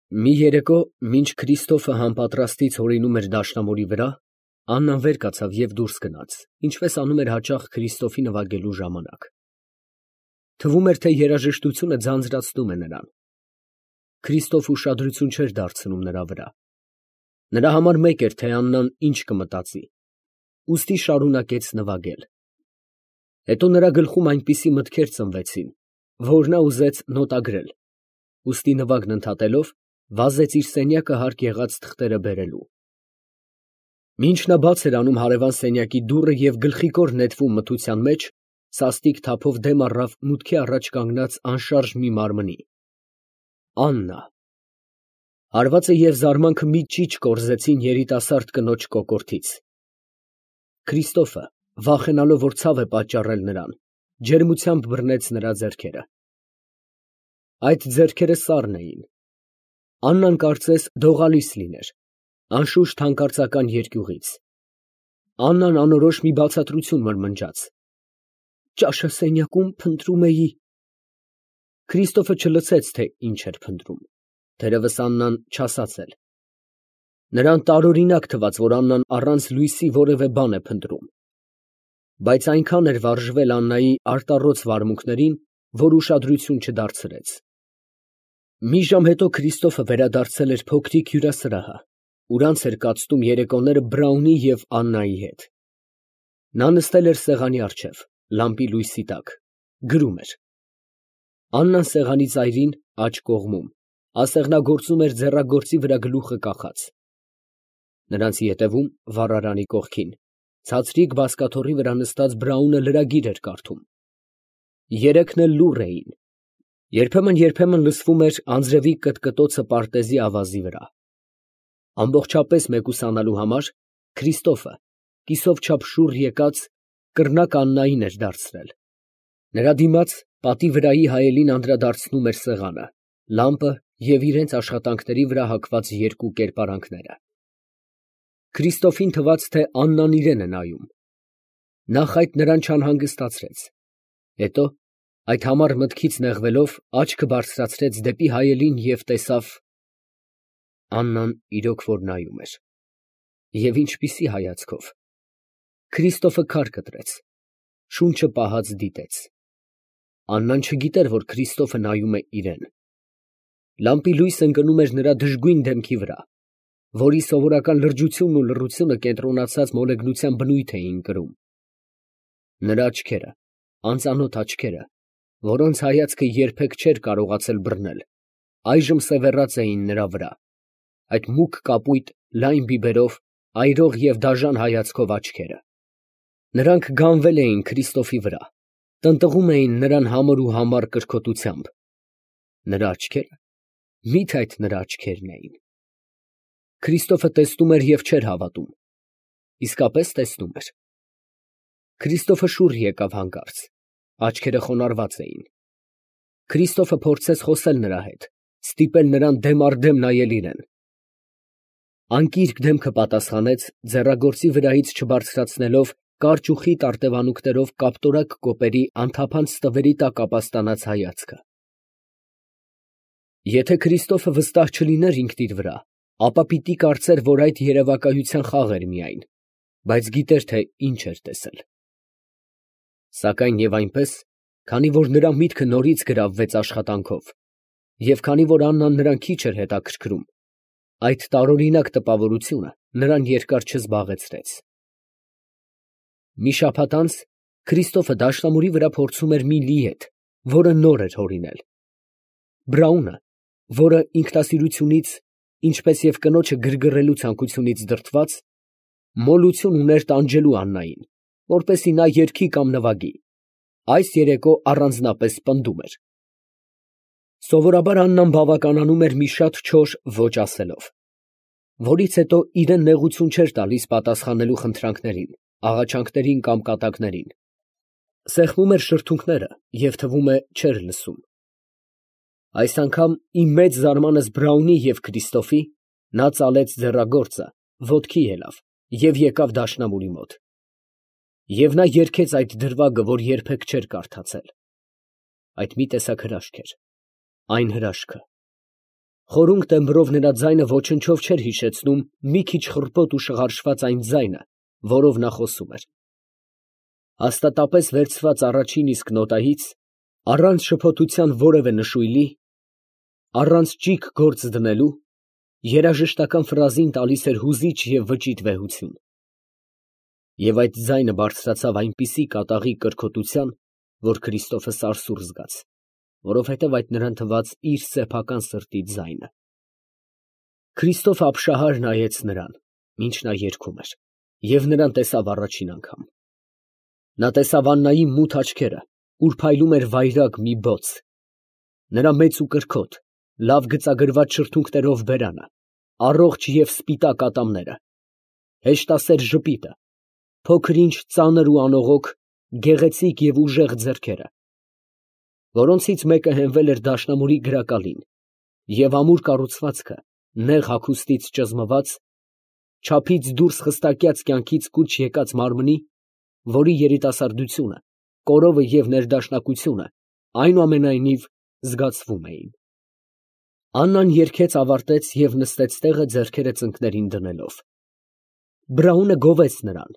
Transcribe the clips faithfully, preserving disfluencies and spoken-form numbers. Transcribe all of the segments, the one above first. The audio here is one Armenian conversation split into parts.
Մի երեկո, մինչ Քրիստոֆը համապատրաստից հորինում էր դաշնամուրի վրա, Աննան վեր կացավ և դուրս գնաց, ինչպես անում էր հաճախ Քրիստոֆի նվագելու ժամանակ. թվում էր, թե երաժշտությունը ձանձրացնում է նրան։ Քրիստոֆը ուշադրություն չէր դարձնում նրա վրա. նրա համար մեկ էր, թե Աննան ինչ կմտածի, ուստի շարունակեց նվագել։ Հետո նրա գլխում այնպիսի մտքեր ծնվեցին, որ նա ուզեց նոտագրել, ուստի նվագն ընդհատելով, վազեց իր սենյակը հարկ եղած թղթերը բերելու։ Մինչ նա բաց էր անում հարևան սենյակի դուռը և գլխիկոր նետվում մթության մեջ, սաստիկ թափով դեմ առավ մուտքի առաջ կանգնած անշարժ մի մարմնի։ Աննա… Հարվածը և զարմանքը մի ճիչ կորզեցին երիտասարդ կնոջ կոկորդից։ Քրիստոֆը, վախենալով, որ ցավ է պատճառել նրան, ջերմությամբ բռնեց նրա ձեռքերը։ Այդ ձեռքերը սառն էին։ Աննան կարծես դողալույս լիներ, անշուշտ հանկարծական երկյուղից։ Աննան անորոշ մի բացատրություն մրմնջաց. «Ճաշը սենյակում փնտրում էի»։ Քրիստոֆը չլսեց, թե ինչ էր փնտրում, թերևս Աննան չասաց էլ։ Նրան տարօրինակ թվաց, որ Աննան առանց լույսի որևէ բան է փնտրում։ Բայց այնքան էր վարժվել Աննայի արտառոց վարմունքներին, որ ուշադրություն չդարձրեց։ Մի ժամ հետո Քրիստոֆը վերադարձել էր փոքրիկ հյուրասրահը, ուր անց էր կացնում երեկոները Բրաունի և Աննայի հետ։ Նա նստել էր սեղանի առջև, լամպի լույսի տակ, գրում էր։ Աննան սեղանի ծայրին, աջ կողմում, ասեղնագործում էր ձեռագործի վրա գլուխը կախած։ Նրանց ետևում, վառարանի կողքին, ցածրիկ բազկաթոռի վրա նստած Բրաունը լրագիր էր կարդում։ Երեքն էլ լուռ էին։ Երբեմն֊երբեմն լսվում էր անձրևի կտկտոցը պարտեզի ավազի վրա։ Ամբողջապես մեկուսանալու համար Քրիստոֆը, կիսով չափ շուռ եկած, կռնակ Աննային էր դարձրել։ Նրա դիմաց, պատի վրայի հայելին անդրադարձնում էր սեղանը, լամպը և իրենց աշխատանքների վրա հագված երկու կերպարանքները։ Քրիստոֆին թվաց, թե Աննան իրան է նայում։ Նախ այդ նրան չանհանգստացրեց, հետո, այդ համառ մտքից նեղվելով, աչքը բարձրացրեց դեպի հայելին և տեսավ… Աննան իրոք որ նայում էր։ Եվ ինչպիսի հայացքով… Քրիստոֆը քար կտրեց, շունչը պահած դիտեց։ Աննան չգիտեր, որ Քրիստոֆը նայում է իրան։ Լամպի լույսը ընկնում էր նրա դժգույն դեմքի վրա, որի սովորական լրջությունն ու լռությունը կենտրոնացած մոլեգնության բնույթ էին կրում։ Նրա աչքերը, անծանոթ աչքերը, որոնց հայացքը երբեք չէր կարողացել բռնել, այժմ սևեռած էին նրա վրա, այդ մուգ կապույտ, լայն բիբերով, այրող և դաժան հայացքով աչքերը։ Նրանք գանվել էին Քրիստոֆի վրա, տնտղում էին նրան համր ու համառ կրքոտությամբ։ Նրա աչքերը… Մի՞թե այդ նրա աչքերն էին։ Քրիստոֆը տեսնում էր և չէր հավատում։ Իսկապես տեսնում էր։ Քրիստոֆը շուռ եկավ հանկարծ, աչքերը խոնարհված էին։ Քրիստոֆը փորձեց խոսել նրա հետ, ստիպել նրան դեմ առ դեմ նայել իրան։ Անկիրք դեմքը պատասխանեց, ձեռագործի վրայից չբարձրացնելով կարճ ու խիտ արտևանքներով կապտորակ կոպերի անթափանց ստվերի տակ ապաստանած հայացքը։ Եթե Քրիստոֆը վստահ չլիներ ինքն իր վրա, ապա պիտի կարծեր, որ այդ երևակայության խաղ էր միայն, բայց գիտեր, թե ինչ էր տեսել։ Սակայն և այնպես, քանի որ նրա միտքը նորից գրավվեց աշխատանքով, և քանի որ Աննան նրան քիչ էր հետաքրքրում, այդ տարօրինակ տպավորությունը նրան երկար չզբաղեցրեց։ Մի շաբաթ անց Քրիստոֆը դաշնամուրի վրա փորձում էր մի լի հետ, որը նոր էր հորինել։ Բրաունը, որը ինքնասիրությունից, ինչպես և կնոջը գրգռելու ցանկությունից դրդված, մոլություն ուներ տանջելու Աննային, որպեսզի նա երգի կամ նվագի, այս երեկո առանձնապես պնդում էր։ Սովորաբար Աննան բավականանում էր մի շատ չոր ոչ ասելով, որից հետո իրան նեղություն չէր տալիս պատասխանելու խնդրանքներին, աղաչանքներին կամ կատակներին։ Սեղմում էր շրթունքները և, թվում է, չէր լսում։ Այս անգամ, ի մեծ զարմանս Բրաունի և Քրիստոֆի, նա ծալեց ձեռագործը, ոտքի ելավ և եկավ դաշնամուրի մոտ։ Եվ նա երգեց այդ դրվագը, որ երբեք չէր կարդացել։ Այդ մի տեսակ հրաշք էր, այն հրաշքը, Խորունգ տեմբրով նրա ձայնը ոչնչով չէր հիշեցնում մի քիչ խռպոտ ու շղարշված այն ձայնը, որով նա խոսում էր։ Հաստատապես վերցված առաջին իսկ նոտայից, առանց շփոթության որևէ նշույլի, առանց ճիգ գործ դնելու, երաժշտական ֆրազին տալիս էր հուզիչ և վճիտ վեհություն։ Եվ այդ ձայնը բարձրացավ այնպիսի կատաղի կրքոտության, որ Քրիստոֆը սարսուռ զգաց, որովհետև այդ նրան թվաց իր սեփական սրտի ձայնը։ Քրիստոֆը ապշահար նայեց նրան, ինչ նա երգում էր, և նրան տեսավ առաջին անգամ։ Նա տեսավ Աննայի մութ աչքերը, ուր փայլում էր վայրագ մի բոց, նրա մեծ ու կրքոտ, լավ գծագրված շրթունքներով բերանը, առողջ և սպիտակ ատամները, հեշտասեր ժպիտը, փոքր-ինչ ծանր ու անողոք, գեղեցիկ և ուժեղ ձեռքերը, որոնցից մեկը հենվել էր դաշնամուրի գրակալին, և ամուր կառուցվածքը, նեղ հագուստից ճզմված, չափից դուրս խստակյաց կյանքից կուչ եկած մարմնի, որի երիտասարդությունը, կորովը և ներդաշնակությունը այնուամենայնիվ զգացվում էին։ Աննան երգեց ավարտեց և նստեց տեղը ձեռքերը ծնկներին դնելով։ Բրաունը գովեց նրան,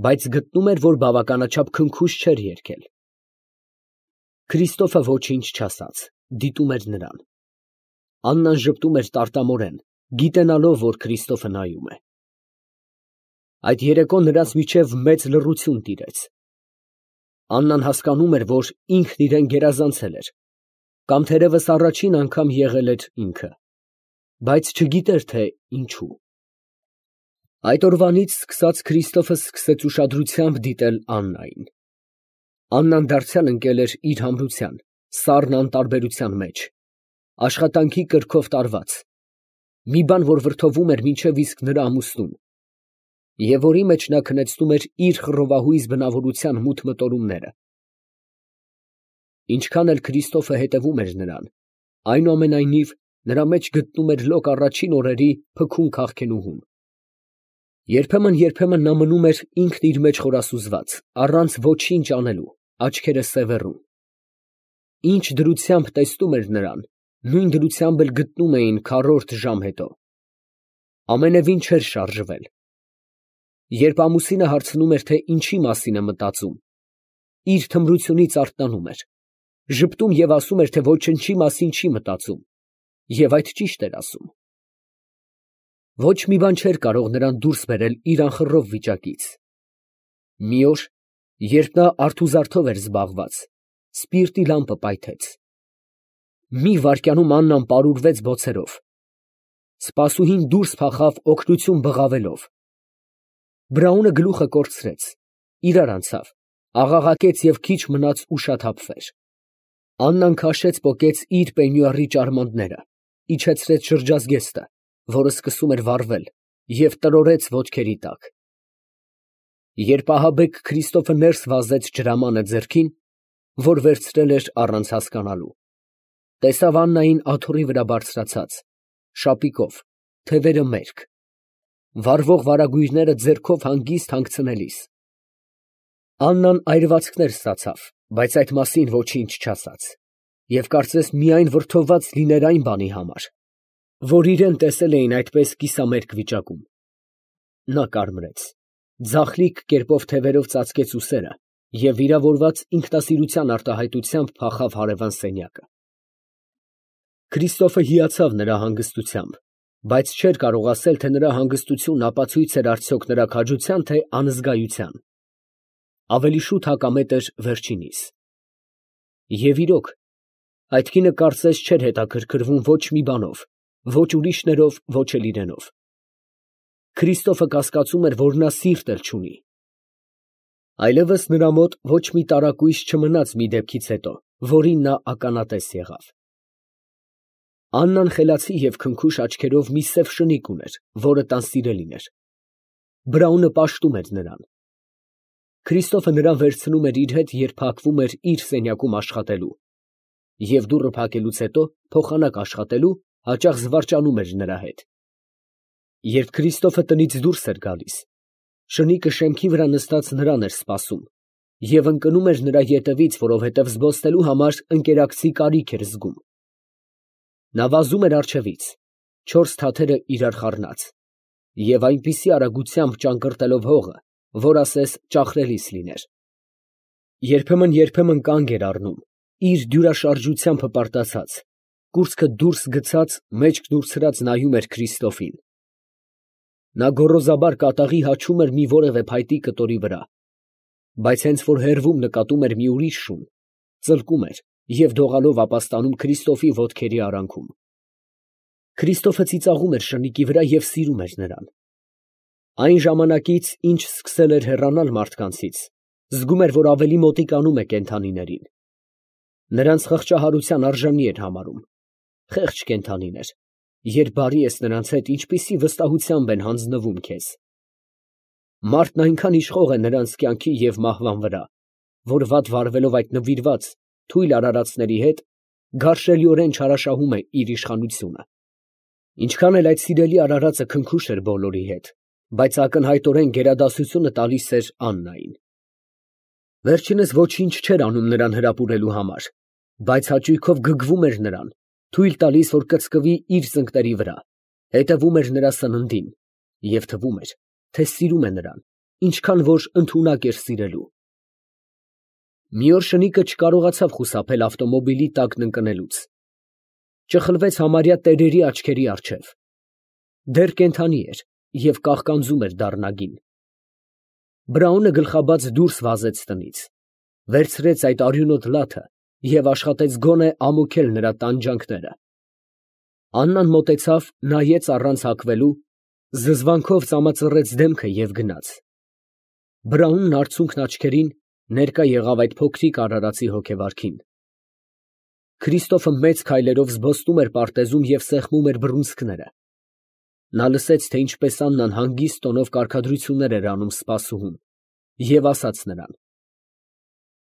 բայց գտնում էր, որ բավականաչափ քնքուշ չէր երգել։ Քրիստոֆը ոչինչ չասաց, դիտում էր նրան։ Աննան ժպտում էր տարտամորեն, գիտենալով, որ Քրիստոֆը նայում է։ Այդ երեկո նրանց միջև մեծ լռություն տիրեց։ Աննան հասկանում էր, որ ինքն իրան գերազանցել էր, կամ թերևս առաջին անգամ եղել էր ինքը, բայց չգիտեր, թե ինչու։ Այդ օրվանից սկսած Քրիստոֆը սկսեց ուշադրությամբ դիտել Աննային։ Աննան դարձյալ ընկել էր իր համրության, սառն անտարբերության մեջ, աշխատանքի կրքով տարված, մի բան, որ վրդովում էր մինչև իսկ նրա ամուսնուն, և որի մեջ նա քնեցնում էր իր խռովահույզ բնավորության մութ մտորումները։ Ինչքան էլ Քրիստոֆը հետևում էր նրան, այնուամենայնիվ նրա մեջ գտնում էր լոկ առաջին օրերի փքուն քաղքենուհուն։ Երբեմն֊երբեմն նա մնում էր ինքն իր մեջ խորասուզված, առանց ոչինչ անելու, աչքերը սևեռում։ Ինչ դրությամբ տեսնում էր նրան, նույն դրությամբ էլ գտնում էին քառորդ ժամ հետո։ Ամենևին չէր շարժվել։ Երբ ամուսինը հարցնում էր, թե ինչի մասին է մտածում, իր թմրությունից արթնանում էր, ժպտում և ասում էր, թե ոչնչի մասին չի մտածում, և այդ ճիշտ էր ասում։ Ոչ մի բան չէր կարող նրան դուրս բերել իր անխռով վիճակից։ Մի օր, երբ նա արթուզարդով էր զբաղված, սպիրտի լամպը պայթեց։ Մի վայրկյանում Աննան պարուրվեց բոցերով։ Սպասուհին դուրս փախավ օգնություն բղավելով։ Բրաունը գլուխը կորցրեց, իրար անցավ, աղաղակեց և քիչ մնաց ուշաթափվեր։ Աննան քաշեց պոկեց իր պենյուարի ճարմանտները, իջեցրեց շրջազգեստը, որը սկսում էր վառվել, և տրորեց ոտքերի տակ։ Երբ ահաբեկ Քրիստոֆը ներս վազեց ջրամանը ձեռքին, որ վերցրել էր առանց հասկանալու, տեսավ Աննային աթոռի վրա բարձրացած, շապիկով, թևերը մերկ, վառվող վարագույրները ձեռքով հանգիստ հանգցնելիս։ Աննան այրվածքներ ստացավ, բայց այդ մասին ոչինչ չասաց, և կարծես միայն վրդոված լիներ այն բանի համար, որ իրան տեսել էին այդպես կիսամերկ վիճակում։ Նա կարմրեց, ձախլիկ կերպով թևերով ծածկեց ուսերը և վիրավորված ինքնասիրության արտահայտությամբ փախավ հարևան սենյակը։ Քրիստոֆը հիացավ նրա հանգստությամբ, բայց չէր կարող ասել, թե նրա հանգստությունն ապացույց էր արդյոք նրա քաջության, թե անզգայության։ Ավելի շուտ հակամետ էր վերջինիս։ Եվ իրոք, այդ կինը կարծես չէր հետաքրքրվում ոչ մի բանով, ոչ ուրիշներով, ոչ էլ իրենով։ Քրիստոֆը կասկածում էր, որ նա սիրտ էլ չունի։ Այլևս նրա մոտ ոչ մի տարակույս չմնաց մի դեպքից հետո, որին նա ականատես եղավ։ Աննան խելացի և քնքուշ աչքերով մի սև շնիկ ուներ, որը տան սիրելին էր։ Բրաունը պաշտում էր նրան։ Քրիստոֆը նրան վերցնում էր իր հետ, երբ փակվում էր իր սենյակում աշխատելու, և դուռը փակելուց հետո, փոխանակ աշխատելու, հաճախ զվարճանում էր նրա հետ։ Երբ Քրիստոֆը տնից դուրս էր գալիս, շնիկը շեմքի վրա նստած նրան էր սպասում և ընկնում էր նրա ետևից, որովհետև զբոսնելու համար ընկերակցի կարիք էր զգում։ Նա վազում էր առջևից, չորս թաթերը իրար խառնած, և այնպիսի արագությամբ ճանկռտելով հողը, որ ասես ճախրելիս լիներ. երբեմն֊երբեմն կանգ էր առնում, իր դյուրաշարժությամբ հպարտացած, կուրծքը դուրս գցած մեջք դուրցրած նայում էր Քրիստոֆին։ Նա գոռոզաբար կատաղի հաչում էր մի որևէ փայտի կտորի վրա, բայց հենց որ հեռվում նկատում էր մի ուրիշ շուն, ծլկում էր և դողալով ապաստանում Քրիստոֆի ոտքերի արանքում։ Քրիստոֆը ծիծաղում էր շնիկի վրա և սիրում էր նրան։ Այն ժամանակից, ինչ սկսել էր հեռանալ մարդկանցից, զգում էր, որ ավելի մոտիկանում է կենդանիներին։ Նրանց խղճահարության արժանի էր համարում։ Խեղճ կենդանիներ, երբ բարի ես նրանց հետ, ինչպիսի վստահությամբ են հանձնվում քեզ։ Մարդն այնքան իշխող է նրանց կյանքի և մահվան վրա, որ վատ վարվելով այդ նվիրված, թույլ արարածների հետ, գարշելիորեն չարաշահում է իր իշխանությունը։ Ինչքան էլ այդ սիրելի արարածը քնքուշ էր բոլորի հետ, բայց ակնհայտորեն գերադասությունը տալիս էր Աննային։ Վերջինս ոչինչ չէր անում նրան հրապուրելու համար, բայց հաճույքով գգվում էր նրան, թույլ տալիս, որ կծկվի իր ծնկների վրա, հետևում էր նրա սննդին և թվում էր, թե սիրում է նրան, ինչքան որ ընդունակ էր սիրելու։ Մի օր շնիկը չկարողացավ խուսափել ավտոմոբիլի տակն ընկնելուց։ Ճխլվեց համարյա տերերի աչքերի առջև։ Դեռ կենդանի էր և կաղկանձում էր դառնագին։ Բրաունը գլխաբաց դուրս վազեց տնից, վերցրեց այդ արյունոտ լաթը և աշխատեց գոնե ամոքել նրա տանջանքները։ Աննան մոտեցավ, նայեց առանց հագվելու, զզվանքով ծամածռեց դեմքը և գնաց։ Բրաունն արցունքն աչքերին ներկա եղավ այդ փոքրիկ արարածի հոգեվարքին։ Քրիստոֆը մեծ քայլերով զբոսնում էր պարտեզում և սեղմում էր բռունցքները։ Նա լսեց, թե ինչպես Աննան հանգիստ տոնով կարգադրություններ էր անում սպասուհուն, և ասաց նրան.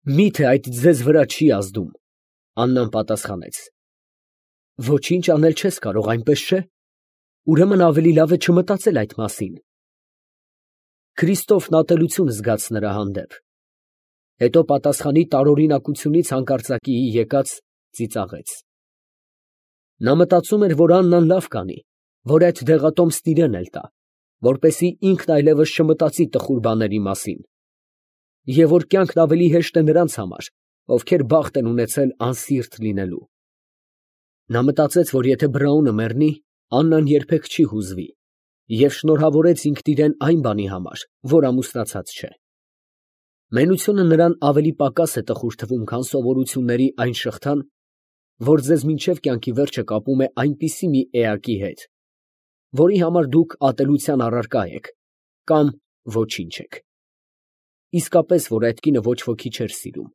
«Մի՞թե այդ ձեզ վրա չի ազդում»։ Աննան պատասխանեց. «Ոչինչ անել չես կարող, այնպես չէ՞։ Ուրեմն ավելի լավ է չմտածել այդ մասին»։ Քրիստոֆն ատելություն զգաց նրա հանդեպ, հետո պատասխանի տարօրինակությունից հանկարծակիի եկած ծիծաղեց։ Նա մտածում էր, որ Աննան լավ կանի, որ այդ դեղատոմսն իրան էլ տա, որպեսզի ինքն այլևս չմտածի տխուր բաների մասին, և որ կյանքն ավելի հեշտ է նրանց համար, ովքեր բախտ են ունեցել անսիրտ լինելու։ Նա մտածեց, որ եթե Բրաունը մեռնի, Աննան երբեք չի հուզվի, և շնորհավորեց ինքն իրան այն բանի համար, որ ամուսնացած չէ։ Մենությունը նրան ավելի պակաս է տխուր թվում, քան սովորությունների այն շղթան, որ ձեզ մինչև կյանքի վերջը կապում է այնպիսի մի էակի հետ, որի համար դուք ատելության առարկա եք կամ ոչինչ եք։ Իսկապես, որ այդ կինը ոչ ոքի չէր սիրում,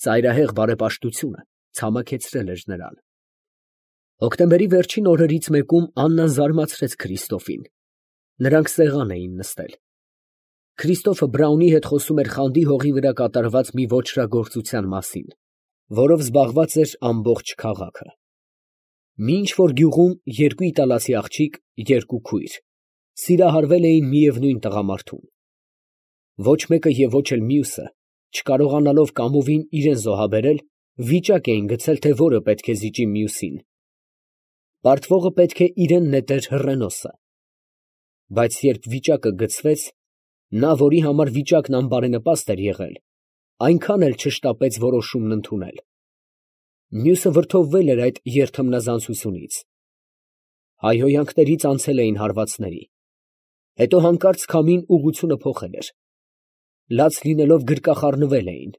ծայրահեղ բարեպաշտությունը ցամաքեցրել էր նրան։ Հոկտեմբերի վերջին օրերից մեկում Աննան զարմացրեց Քրիստոֆին։ Նրանք սեղան էին նստել։ Քրիստոֆը Բրաունի հետ խոսում էր խանդի հողի վրա կատարված մի ոճրագործության մասին, որով զբաղված էր ամբողջ քաղաքը։ Մի ինչ֊որ գյուղում երկու իտալացի աղջիկ, երկու քույր, սիրահարվել էին միևնույն տղամարդուն։ Ոչ մեկը և ոչ էլ մյուսը, չկարողանալով կամովին իրան զոհաբերել, վիճակ էին գցել, թե որը պետք է զիջի մյուսին։ Պարտվողը պետք է իրան նետեր հռենոսը։ Բայց երբ վիճակը գցվեց, նա, որի համար վիճակն անբարենպաստ էր եղել, այնքան էլ չշտապեց որոշումն ընդունել։ Մյուսը վրդովվել էր այդ երթմնազանցությունից։ Հայհոյանքներից անցել էին հարվածների։ Հետո հանկարծ քամին ուղղությունը փոխել էր։ Լաց լինելով գրկախառնվել էին,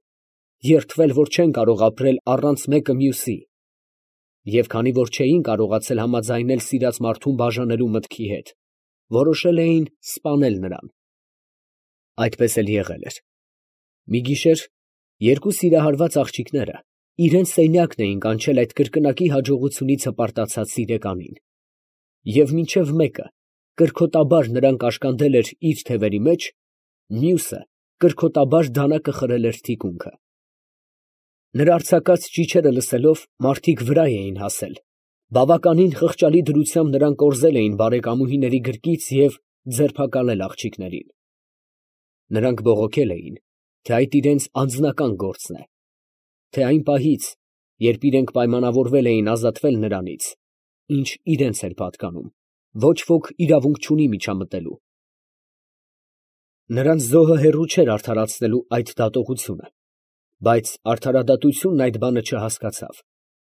երդվել, որ չեն կարող ապրել առանց մեկը մյուսի, և քանի որ չէին կարողացել համաձայնել սիրած մարդուն բաժանելու մտքի հետ, որոշել էին սպանել նրան։ Այդպես էլ եղել էր։ Մի գիշեր երկու սիրահարված աղջիկները իրենց սենյակն էին կանչել այդ կրկնակի հաջողությունից հպարտացած սիրեկանին, և մինչև մեկը կրքոտաբար նրան կաշկանդել էր իր թևերի մեջ, մյուսը կրքոտաբար դանակը խրել էր թիկունքը։ Նրա արձակած ճիչերը լսելով, մարդիկ վրա էին հասել, բավականին խղճալի դրությամբ նրան կորզել էին բարեկամուհիների գրկից և ձերբակալել աղջիկներին։ Նրանք բողոքել էին, թե այդ իրենց անձնական գործն է, թե այն պահից, երբ իրենք պայմանավորվել էին ազատվել նրանից, ինչ իրենց էր պատկանում, ոչ ոք իրավունք չունի միջամտելու։ Նրանց զոհը հեռու չէր արդարացնելու այդ դատողությունը, բայց արդարադատությունն այդ բանը չհասկացավ,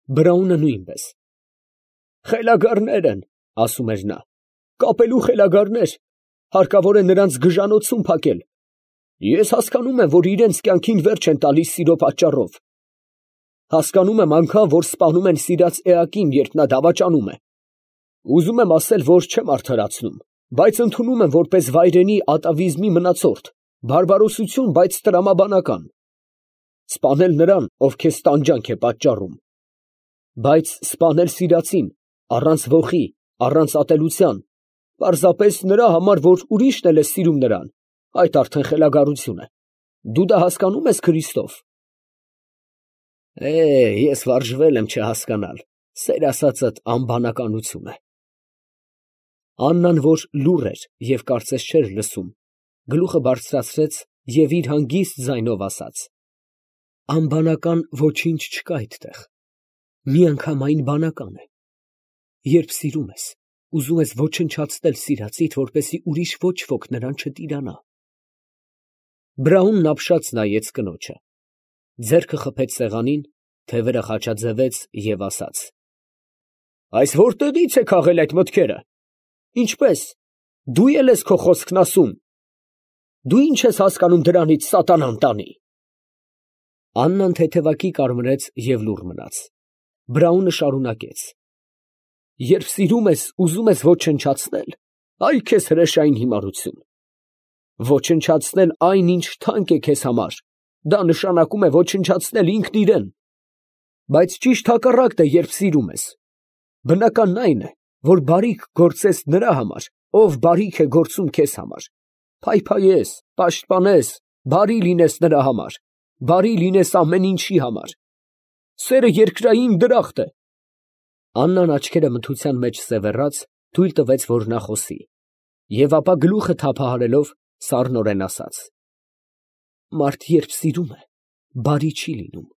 Բրաունը նույնպես։ «Խելագարներ են», ասում էր նա, «կապելու խելագարներ, հարկավոր է նրանց գժանոցում փակել։ Ես հասկանում եմ, որ իրենց կյանքին վերջ են տալիս սիրո պատճառով։ Հասկանում եմ անգամ, որ սպանում են սիրած էակին, երբ նա դավաճանում է։ Ուզում եմ ասել, որ չեմ արդարացնում, բայց ընդունում եմ որպես վայրենի ատավիզմի մնացորդ, բարբարոսություն, բայց տրամաբանական։ Սպանել նրան, ով քեզ տանջանք է պատճառում։ Բայց սպանել սիրածին, առանց ոխի, առանց ատելության, պարզապես նրա համար, որ ուրիշն էլ է սիրում նրան, այդ արդեն խելագարություն է։ Դու դա հասկանում ես, Քրիստոֆ։ Է, ես վարժվել եմ չհասկանալ, սեր ասածդ անբանականություն է։ Աննան, որ լուռ էր և կարծես չէր լսում, գլուխը բարձրացրեց և իր հանգիստ ձայնով ասաց. անբանական ոչինչ չկա այդտեղ, միանգամայն բանական է։ Երբ սիրում ես, ուզում ես ոչնչացնել սիրածիդ, որպեսզի ուրիշ ոչ ոք նրան չտիրանա։ Բրաունն ապշած նայեց կնոջը, ձեռքը խփեց սեղանին, թևերը խաչաձևեց և ասաց. Այս որտեղի՞ց է քաղել այդ մտքերը։ Ինչպես, դու ե՞լ ես քո խոսքն ասում։ Դու ի՞նչ ես հասկանում դրանից, սատանան տանի։ Աննան թեթևակի կարմրեց և լուռ մնաց։ Բրաունը շարունակեց. Երբ սիրում ես, ուզում ես ոչնչացնել, այ քեզ հրեշային հիմարություն։ Ոչնչացնել այն, ինչ թանկ է քեզ համար, դա նշանակում է ոչնչացնել ինքն իրեն։ Բայց ճիշտ հակառակն է, երբ սիրում ես։ Բնականն այն է, որ բարիք գործես նրա համար, ով բարիք է գործում քեզ համար, փայփայես, պաշտպանես, բարի լինես նրա համար, բարի լինես ամեն ինչի համար։ Սերը երկրային դրախտ է։ Աննան աչքերը մթության մեջ սևեռած, թույլ տվեց, որ նա խոսի, և ապա գլուխը թափահարելով սառնորեն ասաց. Մարդ երբ սիրում է, բարի չի լինում։